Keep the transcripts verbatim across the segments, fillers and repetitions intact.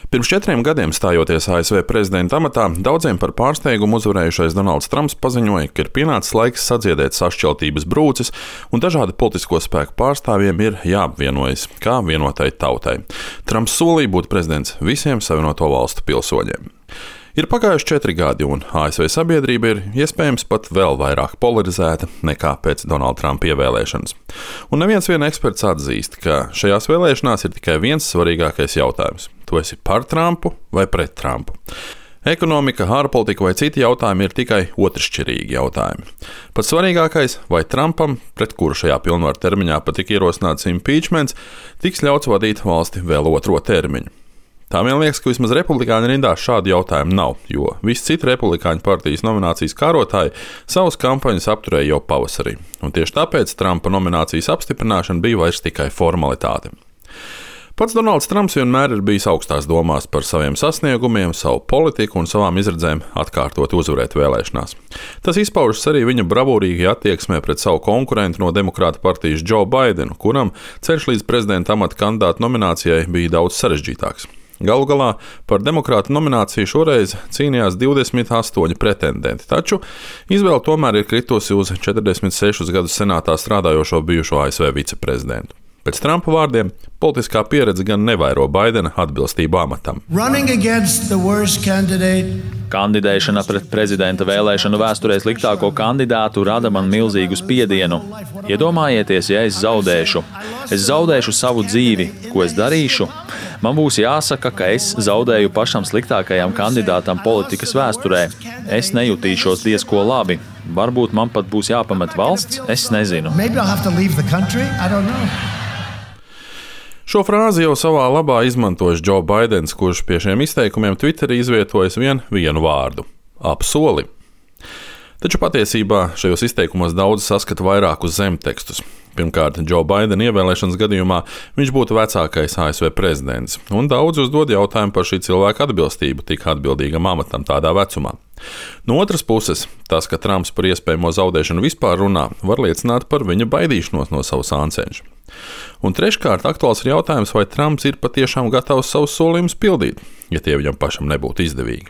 Pirms četriem gadiem stājoties A S V prezidenta amatā, daudziem par pārsteigumu uzvarējušais Donalds Trumps paziņoja, ka ir pienācis laiks sadziedēt sašķeltības brūces un dažādu politisko spēku pārstāvjiem ir jāapvienojas kā vienotai tautai. Trumps solīja būt prezidents visiem Savienoto valstu pilsoņiem. Ir pagājuši četri gadi, un A S V sabiedrība ir iespējams pat vēl vairāk polarizēta nekā pēc Donalda Trumpa ievēlēšanas. Un neviens vien eksperts atzīst, ka šajās vēlēšanās ir tikai viens svarīgākais jautājums. Tu esi par Trumpu vai pret Trumpu? Ekonomika, ārpolitika vai citi jautājumi ir tikai otršķirīgi jautājumi. Pats svarīgākais, vai Trumpam, pret kuru šajā pilnvaru termiņā pat tika ierosināts impeachments, tiks ļauts vadīt valsti vēl otro termiņu. Tā vien liekas, ka vismaz republikāņu rindās šādu jautājumu nav, jo visi citi republikāņu partijas nominācijas kārotāji savas kampaņas apturēja jau pavasarī, un tieši tāpēc Trumpa nominācijas apstiprināšana bija vairs tikai formalitāte. Pats Donalds Trumps vienmēr ir bijis augstās domās par saviem sasniegumiem, savu politiku un savām izredzēm atkārtot uzvarēt vēlēšanās. Tas izpaužas arī viņa bravūrīgajā attieksmē pret savu konkurentu no Demokrāta partijas Joe Bidenu, kuram ceļš līdz prezidenta amata kandidāta nominācijai bija daudz sarežģītāks. Galu galā par demokrātu nomināciju šoreiz cīnījās divdesmit astoņi pretendenti, taču izvēle tomēr ir kritusi uz četrdesmit sešus gadus senātā strādājošo bijušo A S V viceprezidentu. Pēc Trumpa vārdiem, politiskā pieredze gan nevairo Baidena atbilstību amatam. Kandidēšana pret prezidenta vēlēšanu vēsturē sliktāko kandidātu rada man milzīgu spiedienu. Iedomājieties, ja es zaudēšu. Es zaudēšu savu dzīvi, ko es darīšu. Man būs jāsaka, ka es zaudēju pašam sliktākajam kandidātam politikas vēsturē. Es nejutīšos diezko labi. Varbūt man pat būs jāpamet valsts, es nezinu. Šo frāzi jau savā labā izmantojis Joe Baidens, kurš pie šiem izteikumiem Twitterī izvietojis vien vienu vārdu – apsoli. Taču patiesībā šajos izteikumos daudz saskata vairākus zemtekstus. Pirmkārt, Joe Baidena ievēlēšanas gadījumā viņš būtu vecākais A S V prezidents, un daudz uzdod jautājumu par šī cilvēka atbilstību tik atbildīgam amatam tādā vecumā. No otras puses, tas, ka Trumps par iespējamo zaudēšanu vispār runā, var liecināt par viņa baidīšanos no savu sāncenšu. Un treškārt, aktuāls ir jautājums, vai Trumps ir patiešām gatavs savus solījumus pildīt, ja tie viņam pašam nebūtu izdevīgi.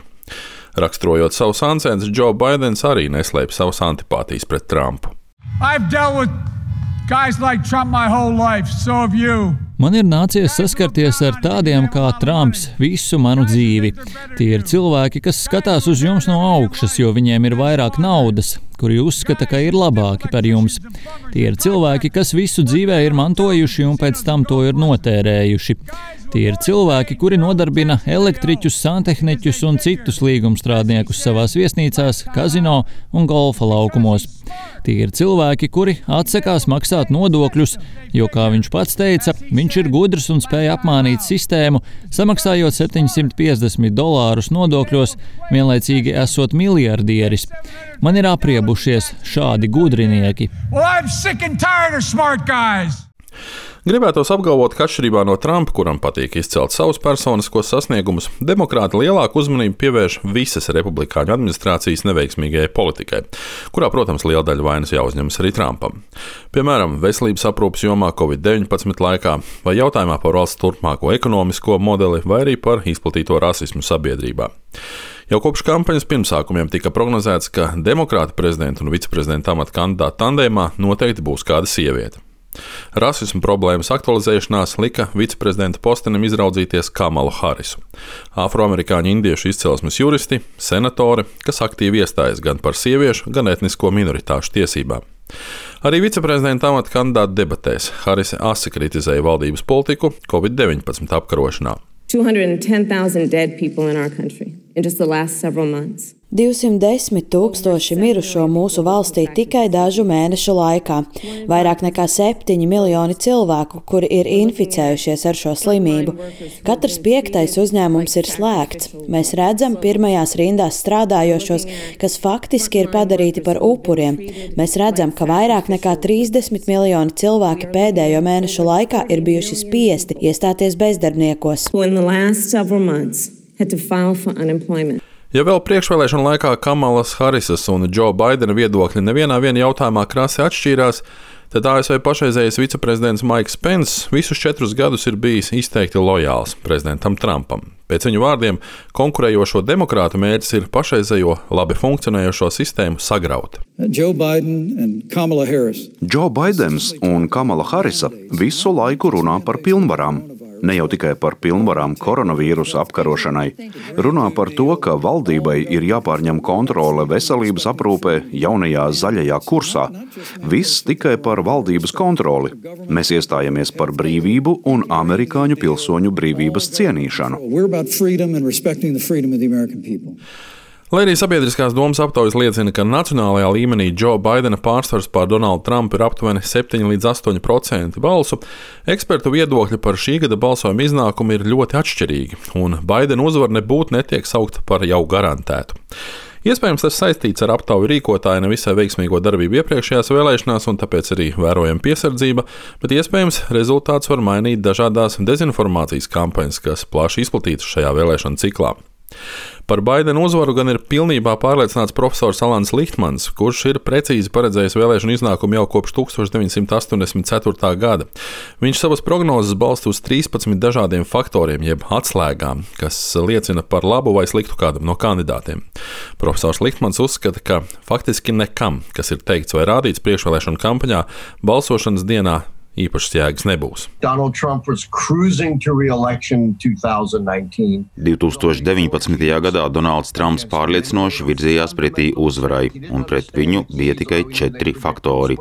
Raksturojot savu sāncenšu, Joe Baidens arī neslēpj savas antipātijas pret Trumpu. Like Trump my whole life, so have you. Man ir nācies saskarties ar tādiem kā Trumps visu manu dzīvi. Tie ir cilvēki, kas skatās uz jums no augšas, jo viņiem ir vairāk naudas, kuri uzskata, ka ir labāki par jums. Tie ir cilvēki, kas visu dzīvē ir mantojuši un pēc tam to ir notērējuši. Tie ir cilvēki, kuri nodarbina elektriķus, santehniķus un citus līgumstrādniekus savās viesnīcās, kazino un golfa laukumos. Tie ir cilvēki, kuri atsakās maksāt nodokļus, jo, kā viņš pats teica, viņš ir gudrs un spēj apmānīt sistēmu, samaksājot septiņsimt piecdesmit dolārus nodokļos, vienlaicīgi esot miljardieris. Man ir apriebušies šādi gudrinieki. Well, I'm sick and tired of smart guys. Gribētos apgalvot, ka atšķirībā no Trumpa, kuram patīk izcelt savus personiskos sasniegumus, demokrāti lielāku uzmanību pievērš visas republikāņu administrācijas neveiksmīgajai politikai, kurā, protams, liela daļa vainas jāuzņemas arī Trumpam. Piemēram, veselības aprūpes jomā covid deviņpadsmit laikā, vai jautājumā par valsts turpmāko ekonomisko modeli, vai arī par izplatīto rasismu sabiedrībā. Jau kopš kampaņas pirmsākumiem tika prognozēts, ka demokrāta prezidenta un viceprezidenta amata kandidāta tandēmā noteikti būs kāda sieviete. Rasismu problēmas aktualizēšanās lika viceprezidenta postenim izraudzīties Kamalu Harisu. Afroamerikāņu indiešu izcelsmes juristi, senatori, kas aktīvi iestājas gan par sieviešu, gan etnisko minoritāšu tiesībām. Arī viceprezidenta amata kandidāta debatēs Harise asi kritizēja valdības politiku covid deviņpadsmit apkarošanā. two hundred ten thousand dead people in our country in just the last several months. divsimt desmit tūkstoši mirušo mūsu valstī tikai dažu mēnešu laikā. Vairāk nekā septiņi miljoni cilvēku, kuri ir inficējušies ar šo slimību. Katrs piektais uzņēmums ir slēgts. Mēs redzam pirmajās rindās strādājošos, kas faktiski ir padarīti par upuriem. Mēs redzam, ka vairāk nekā trīsdesmit miljoni cilvēki pēdējo mēnešu laikā ir bijuši spiesti iestāties bezdarbniekos. Ja vēl priekšvēlēšana laikā Kamalas Harisas un Joe Baidena viedokļi nevienā viena jautājumā krasi atšķīrās, Tad A S V pašreizējais viceprezidents Maiks Pence visus četrus gadus ir bijis izteikti lojāls prezidentam Trumpam. Pēc viņu vārdiem, konkurējošo demokrātu mērķis ir pašreizējo labi funkcionējošo sistēmu sagraut. Joe Biden and Kamala Harris. Joe Baidens un Kamala Harrisa visu laiku runā par pilnvarām. Ne jau tikai par pilnvarām koronavīrusa apkarošanai, runā par to, ka valdībai ir jāpārņem kontrole veselības aprūpē jaunajā zaļajā kursā. Viss tikai par valdības kontroli. Mēs iestājamies par brīvību un amerikāņu pilsoņu brīvības cienīšanu. Lai arī sabiedriskās domas aptaujas liecina, ka nacionālajā līmenī Joe Bidena pārsvars pār Donaldu Trumpu ir aptuveni septiņi līdz astoņi procenti balsu, ekspertu viedokļi par šī gada balsojuma iznākumu ir ļoti atšķirīgi, un Bidena uzvara nebūtu netiek saukta par jau garantētu. Iespējams, tas saistīts ar aptauju rīkotāju nevisai veiksmīgo darbību iepriekšējās vēlēšanās, un tāpēc arī vērojama piesardzība, bet iespējams rezultāts var mainīt dažādās dezinformācijas kampaņas, kas plaši izplatītas šajā vēlēšanu ciklā. Par Baidena uzvaru gan ir pilnībā pārliecināts profesors Alans Lihtmans, kurš ir precīzi paredzējis vēlēšanu iznākumu jau kopš tukstovš deviņsimt astoņdesmit ceturtā gada. Viņš savas prognozes balsta uz trīspadsmit dažādiem faktoriem, jeb atslēgām, kas liecina par labu vai sliktu kādam no kandidātiem. Profesors Lihtmans uzskata, ka faktiski nekam, kas ir teikts vai rādīts priekšvēlēšanu kampaņā, balsošanas dienā īpašas jēgas nebūs. divtūkstoš deviņpadsmitajā gadā Donalds Trumps pārliecinoši virzījās pretī uzvarai, un pret viņu bija tikai četri faktori.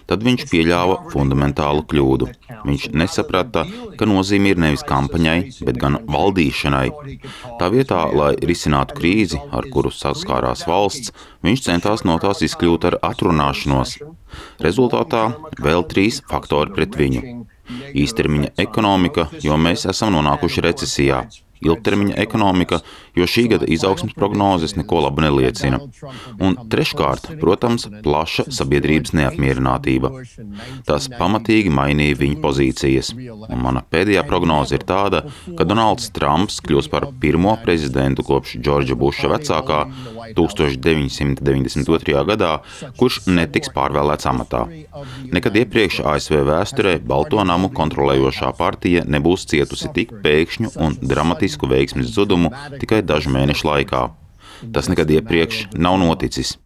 Tad viņš pieļāva fundamentālu kļūdu. Viņš nesaprata, ka nozīme ir nevis kampaņai, bet gan valdīšanai. Tā vietā, lai risinātu krīzi, ar kuru saskārās valsts, viņš centās no tās izkļūt ar atrunāšanos. Rezultātā vēl trīs faktori pret viņu. Īstermiņa ekonomika, jo mēs esam nonākuši recesijā. Ilgtermiņa ekonomika, jo šī gada izaugsmes prognozes neko labu neliecina. Un treškārt, protams, plaša sabiedrības neapmierinātība. Tas pamatīgi mainīja viņa pozīcijas. Un mana pēdējā prognoze ir tāda, ka Donalds Trumps kļūs par pirmo prezidentu kopš Džordža Buša vecākā tūkstoš deviņsimt deviņdesmit otrajā gadā, kurš netiks pārvēlēts amatā. Nekad iepriekš A S V vēsturē Balto namu kontrolējošā partija nebūs cietusi tik pēkšņu un dramatisku veiksmes zudumu tikai dažu mēnešu laikā. Tas nekad iepriekš nav noticis.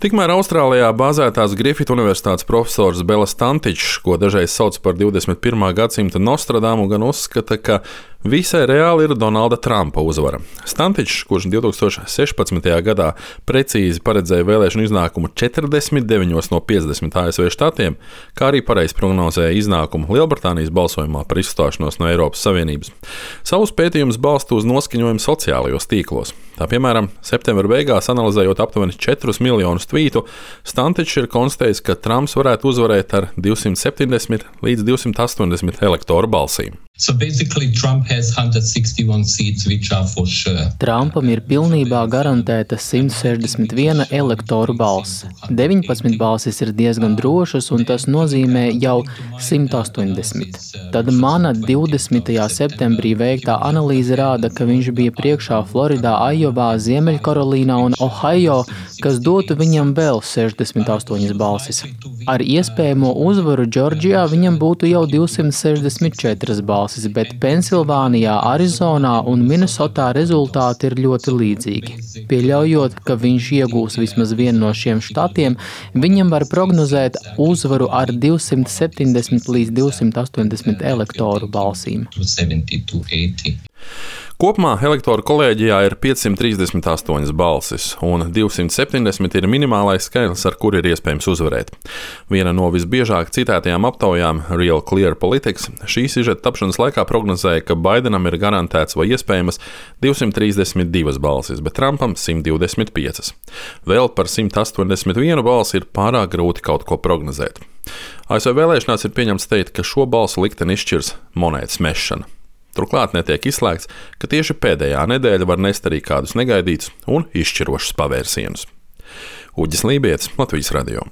Tikmēr Austrālijā bāzētās Griffith Universitātes profesors Belas Tantičs, ko dažreiz sauc par divdesmit pirmā gadsimta Nostradamu, gan uzskata, ka visai reāli ir Donalda Trumpa uzvara. Tantičs, kurš divtūkstoš sešpadsmitajā gadā precīzi paredzēja vēlēšanu iznākumu četrdesmit deviņos no piecdesmit A S V štatiem, kā arī pareizi prognozēja iznākumu Lielbritānijas balsojumā par izstāšanos no Eiropas Savienības. Savus pētījumus balsta uz noskaņojumu sociālajos tīklos. Tā piemēram, septembra beigās analizējot aptuveni četrus miljonus tvītu, Tantičs ir konstatējis, ka Trumps varētu uzvarēt ar divsimt septiņdesmit līdz divsimt astoņdesmit elektoru balsīm. So basically Trump has one hundred sixty-one seats, which are for sure. Trumpam ir pilnībā garantēta simt sešdesmit viena elektoru balss. deviņpadsmit balsis ir diezgan drošas, un tas nozīmē jau simt astoņdesmit. Tad mana divdesmitajā septembrī veiktā analīze rāda, ka viņš bija priekšā Floridā, Ajovā, Ziemeļkarolīnā un Ohio, kas dotu viņam vēl sešdesmit astoņas balsis. Ar iespējamo uzvaru Džordžijā viņam būtu jau divsimt sešdesmit četras balsis, bet Pensilvānijā, Arizonā un Minnesotā rezultāti ir ļoti līdzīgi. Pieļaujot, ka viņš iegūs vismaz vienu no šiem štatiem, viņam var prognozēt uzvaru ar divsimt septiņdesmit līdz divsimt astoņdesmit elektoru balsīm. Kopumā elektoru kolēģijā ir piecsimt trīsdesmit astoņas balsis, un divsimt septiņdesmit ir minimālais skaitlis, ar kuru ir iespējams uzvarēt. Viena no visbiežāk citētajām aptaujām, Real Clear Politics, šī sižeta tapšanas laikā prognozēja, ka Baidenam ir garantēts vai iespējamas divsimt trīsdesmit divas balsis, bet Trumpam simt divdesmit piecas. Vēl par simt astoņdesmit vienu balsi ir pārāk grūti kaut ko prognozēt. A S V vēlēšanās ir pieņemts teikt, ka šo balsu likteni izšķirs monētas mešana. Turklāt netiek izslēgts, ka tieši pēdējā nedēļa var nest arī kādus negaidītus un izšķirošus pavērsienus. Uģis Lībietis, Latvijas radio.